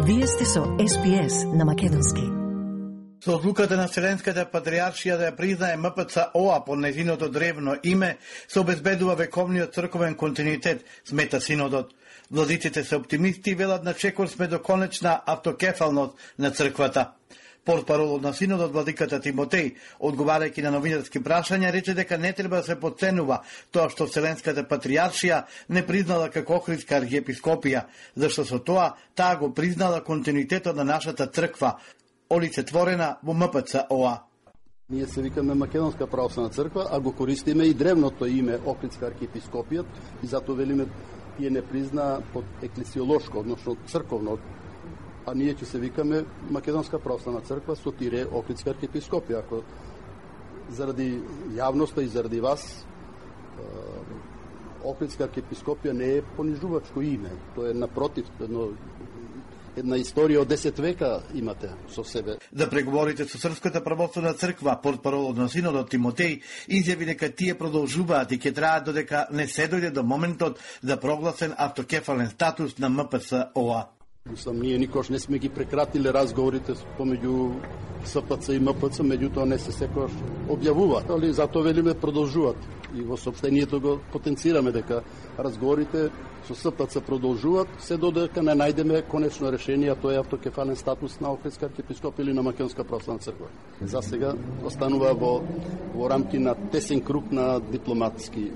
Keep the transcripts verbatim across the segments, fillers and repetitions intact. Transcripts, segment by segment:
Вие сте со Ес Би Ес на македонски. Со одлуката на Вселенската патриаршија да ја признае М П Ц О А под нејзиното древно име, се обезбедува вековниот црковен континуитет, смета синодот. Владиците се оптимисти и велат на чекор сме до конечна автокефалност на црквата. Портпаролот на синодот владиката Тимотеј, одговарајќи на новинарски прашања, рече дека не треба да се подценува тоа што Вселенската патриаршија не признала како Охридска архиепископија, зашто со тоа таа го признала континуитетот на нашата црква, олицетворена во М П Ц О А. Ние се викаме Македонска православна црква, а го користиме и древното име Охридска архиепископија и затоа велиме тие не призна под еклесиолошко, односно црковно, а ние ќе се викаме Македонска православна црква со тире Охридска архиепископија. Ако заради јавноста и заради вас Охридска архиепископија не е понижувачко име, тоа е напротив, едно една историја од десет века имате со себе. Да преговорите со Српската православна црква, портпаролот на синодот Тимотеј изјави дека тие продолжуваат и ќе траат додека не се дојде до моментот за прогласен автокефален статус на М П Ц О А. Мислам, ние никош не сме ги прекратиле разговорите помеѓу С П Ц и М П Ц, меѓутоа не се секојаш објавуваат, али затоа велиме продолжуваат. И во соопштението го потенцираме дека разговорите со С П Ц продолжуваат, се додека не најдеме конечно решение, а тоа е автокефален статус на Охридска архиепископија или на Македонска православна црква. За сега останува во, во рамки на тесен круг на дипломатски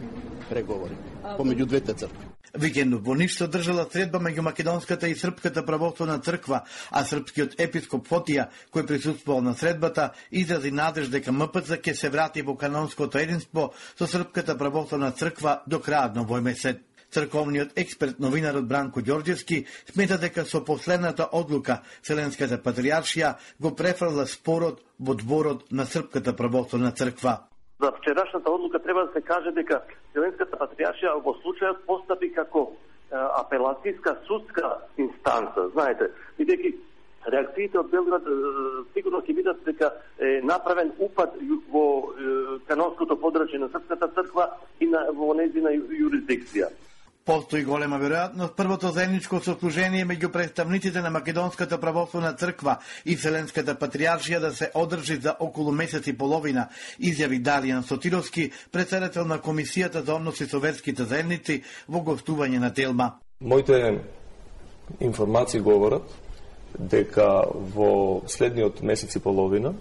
преговори помеѓу двете цркви. Викендов во Ниш се одржала средба меѓу Македонската и Српската православна црква, а српскиот епископ Фотија, кој присуствувал на средбата, изрази надеж дека М П Ц ќе се врати во канонското единство со Српската православна црква до крајот на овој месец. Црковниот експерт новинарот Бранко Ѓорѓевски смета дека со последната одлука Вселенската патриаршија го префрла спорот во дворот на Српската православна црква. За вчерашната одлука треба да се каже дека Вселенската патриаршија во случајот постапи како е, апелацијска судска инстанца, знаете, бидејќи реакциите од Белград е, сигурно ќе видат дека е направен упад во е, канонското подрачје на Српската црква и на во нејзина јурисдикција. Постои голема веројатност првото заедничко сослужение меѓу представниците на Македонската православна црква и Вселенската патриаршија да се одржи за околу месец и половина, изјави Даријан Сотировски, председател на Комисијата за односи со верските заедници во гостување на Телма. Моите информации говорат дека во следниот месец и половина,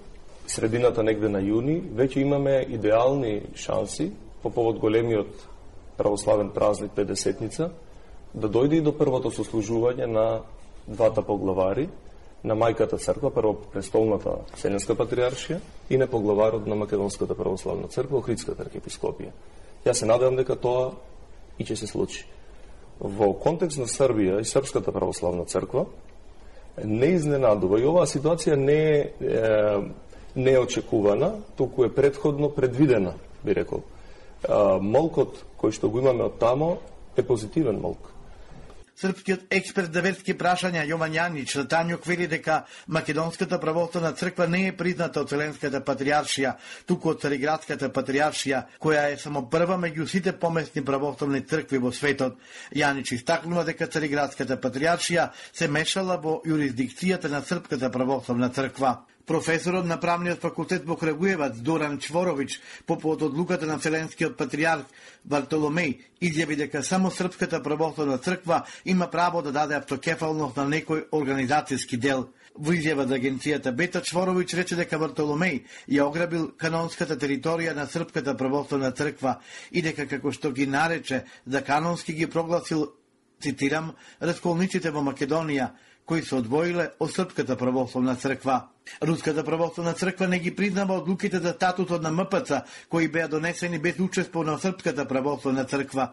средината негде на јуни, веќе имаме идеални шанси по повод големиот православен празник педесетница, да дојде и до првото сослужување на двата поглавари, на мајката црква, прво престолната Вселенска патриаршија и на поглаварот на Македонската православна црква, Охридската архиепископија. Јас се надевам дека тоа и ќе се случи. Во контекст на Србија и Српската православна црква не изненадува и оваа ситуација не е, не е очекувана, туку е претходно предвидена, би рекол. Молкот кој што го имаме од тамо е позитивен молк. Српскиот експерт за верски прашања Јован Јанич на Тањок вели дека Македонската православна црква не е призната од Вселенската патриаршија, туку од Цариградската патриаршија, која е само прва меѓу сите помесни православни цркви во светот. Јанич истакнува дека Цариградската патриаршија се мешала во јурисдикцијата на Српската православна црква. Професорот на правниот факултет во Крагуевац Доран Чворович по повод одлуката на Вселенскиот патриарх Вартоломеј изјави дека само Српската православна црква има право да даде автокефалност на некој организацијски дел. Во изјава за агенцијата Бета Чворович рече дека Вартоломеј ја ограбил канонската територија на Српската православна црква и дека како што ги нарече за канонски ги прогласил, цитирам, расколниците во Македонија, кои се одвоиле од Српската православна црква. Руската православна црква не ги признава одлуките за статутот на М П Ц, кои беа донесени без учество на Српската православна црква.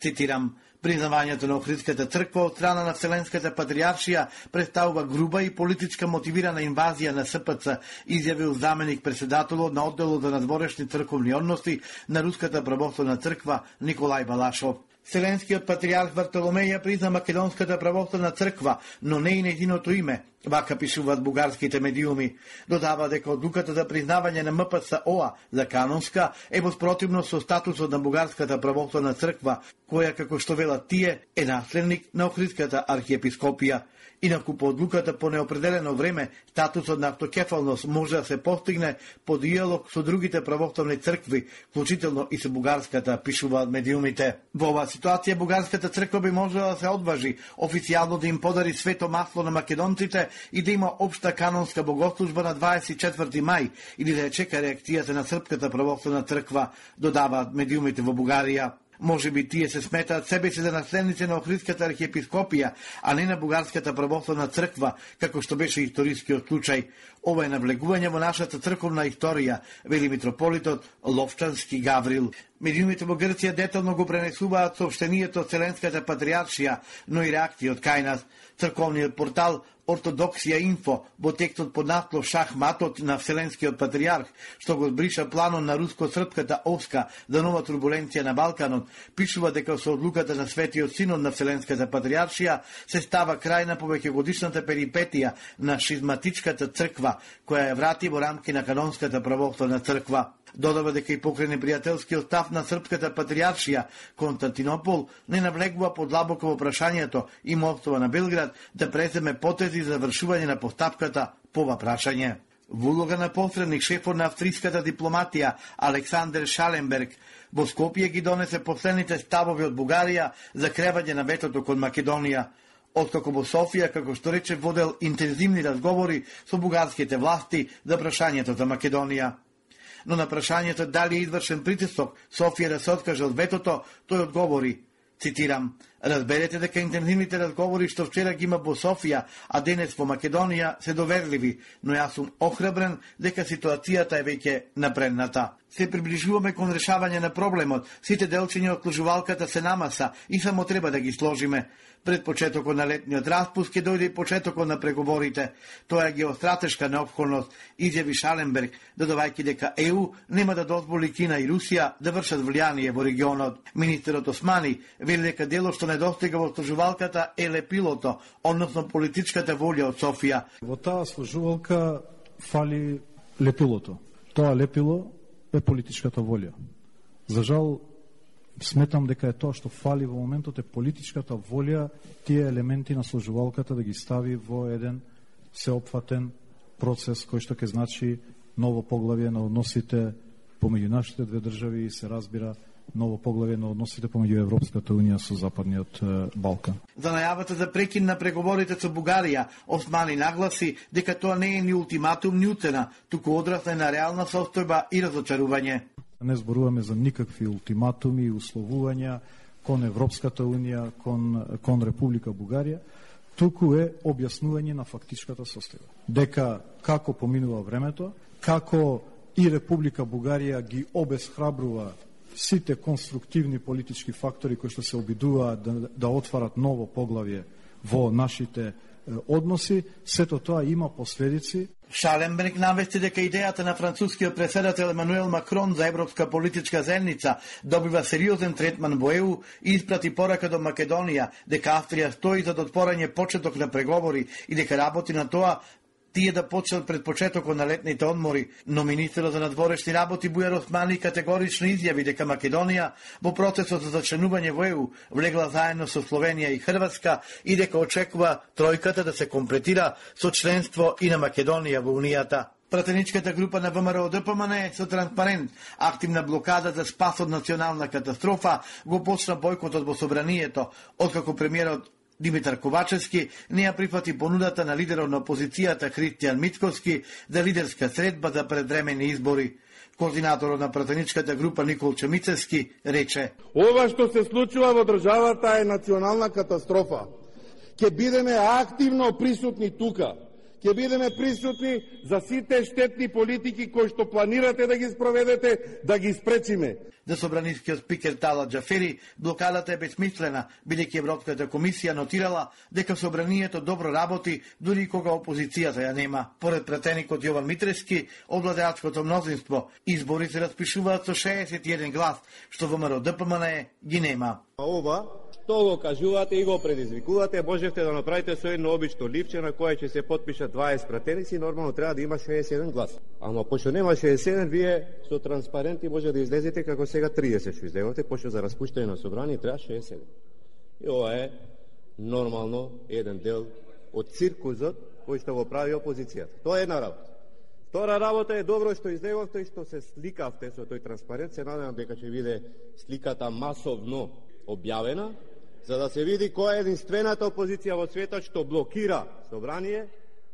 Цитирам, признавањето на Охридската црква од страна на Вселенската патриаршија представува груба и политичка мотивирана инвазија на С П Ц, изјавил заменик председателот на одделот за надворешни црковни односи на Руската православна црква Николај Балашов. Вселенскиот патриарх Вартоломеј ја призна Македонската православна црква, но не и нејзиното име, вака пишуваат бугарските медиуми. Додава дека одлуката за признавање на М П Ц О А за канонска е во спротивност со статусот на бугарската православна црква, која, како што велат тие, е наследник на Охридската архиепископија. Инаку по одлуката по неопределено време, статусот на автокефалност може да се постигне по диалог со другите православни цркви, вклучително и со бугарската, пишуваат медиумите. Во оваа ситуација бугарската црква би можела да се одважи официјално да им подари свето масло на македонците и да има општа канонска богослужба на дваесет и четврти мај или да ја чека реакцијата на српската православна црква, додаваат медиумите во Бугарија. Може би тие се сметаат себе си за наследници на Охридската архиепископија, а не на бугарската православна црква, како што беше историскиот случај. Ова е навлегување во нашата црковна историја, вели митрополитот Ловчански Гаврил. Медиумите во Грција детално го пренесуваат соопштението од Вселенската патриаршија, но и реакции од кај нас. Црковниот портал Ортодоксија Инфо во текстот под наслов Шахматот на Вселенскиот патриарх, што го бриша планот на руско-српската овска за нова турбуленција на Балканот, пишува дека со одлуката на Светиот Синод на Вселенската патриаршија се става крај на повеќегодишната перипетија на шизматичката црква, која ја врати во рамки на канонската православна црква. Додава дека и покрај непријателскиот став на српската патриаршија, Константинопол не навлегува подлабоко во прашањето и моќтова на Белград да преземе потези за завршување на постапката по ова прашање. Во улога на посредник, шефот на австриската дипломатија Александер Шаленберг во Скопје ги донесе последните ставови од Бугарија за кревање на ветото кон Македонија. Откако во Софија, како што рече, водел интензивни разговори со бугарските власти за прашањето за Македонија. Но на прашањето дали е извршен притисок Софија да се откаже од ветото, тој одговори, цитирам: "Разберете дека интензивните разговори што вчера ги има во Софија, а денес во Македонија, се доверливи, но јас сум охрабрен дека ситуацијата е веќе напредната. Се приближуваме кон решавање на проблемот, сите делчиња од сложувалката се намаса и само треба да ги сложиме. Пред почетокот на летниот распуст ќе дојде и почетокот на преговорите. Тоа е геостратешка неопходност", изјави Шаленберг, додавајќи дека Е У нема да дозволи Кина и Русија да вршат влијание во регионот. Министерот Османи вели дека делот што недостига во сложувалката е лепилото, односно политичката волја од Софија. Во таа сложувалка фали лепилото. Тоа лепило е политичката волја. За жал, сметам дека е тоа што фали во моментот е политичката волја тие елементи на сложувалката да ги стави во еден сеопфатен процес кој што ќе значи ново поглавје на односите помеѓу нашите две држави и се разбира ново поглавје на односите помеѓу Европската унија со Западниот Балкан. За најавата за прекин на преговорите со Бугарија, Османи нагласи дека тоа не е ни ултиматум ни уцена, туку одраз на реална состојба и разочарување. Не зборуваме за никакви ултиматуми и условувања кон Европската унија, кон, кон Република Бугарија, туку е објаснување на фактичката состојба. Дека како поминува времето, како и Република Бугарија ги обесхрабрува сите конструктивни политички фактори кои што се обидуваат да, да отварат ново поглавје во нашите е, односи, сето тоа има последици. Шаленберг навести дека идејата на францускиот претседател Емануел Макрон за европска политичка заедница добива сериозен третман во Е У и испрати порака до Македонија дека Австрија стои за отворање почеток на преговори и дека работи на тоа тие да почнат пред почетокот на летните одмори, но министерот за надворешни работи Бујар Османи категорично изјави дека Македонија во процесот за зачленување во Е У влегла заедно со Словенија и Хрватска и дека очекува тројката да се комплетира со членство и на Македонија во Унијата. Пратеничката група на Вэ Ем Р О Д П М Н е со транспарент, активна блокада за спас од национална катастрофа, го почна бојкотот во собранието, откако премиерот Димитар Ковачевски не ја прифати понудата на лидерот на опозицијата Христијан Мицковски за лидерска средба за предвремени избори. Координаторот на пратеничката група Никол Чемицевски рече: "Ова што се случува во државата е национална катастрофа. Ќе бидеме активно присутни тука. Ќе бидеме присутни за сите штетни политики кои што планирате да ги спроведете, да ги спречиме." За собранискиот спикер Тала Џафери, блокадата е безсмислена, бидејќи Европската комисија нотирала дека собранието добро работи дури кога опозицијата ја нема. Поред пратеникот Јован Митревски, од владеачкото мнозинство, избори се распишуваат со шеесет и еден глас, што Вэ Ем Р О Д П М Н ги нема. Ова што го кажувате и го предизвикувате, можете да направите со едно обично ливче на кое ќе се потпишат дваесет пратеници, нормално треба да има шеесет и еден глас. Ама пошто нема шеесет и еден, вие со транспаренти може да излезете како сега триесет што излегате, пошто за распуштање на собрание треба шеесет и еден. И ова е нормално еден дел од циркузот кој што го прави опозицијата. Тоа е една работа. Втора работа е добро што излеговте и што се сликавте со тој транспарент. Се надевам дека ќе биде сликата масовно објавена, за да се види која е единствената опозиција во светот што блокира собрание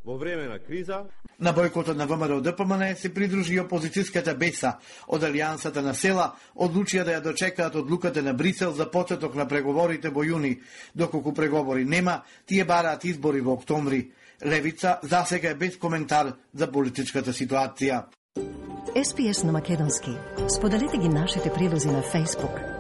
во време на криза. На бојкотот на ВМРО Д П М Н се придружи опозицијската Беса од Алијансата на села, одлучија да ја дочекаат одлуката на Брисел за почеток на преговорите во јуни. Доколку преговори нема, тие бараат избори во октомври. Левица засега е без коментар за политичката ситуација. Ес Пи Ес на македонски. Споделете ги нашите прилози на Facebook,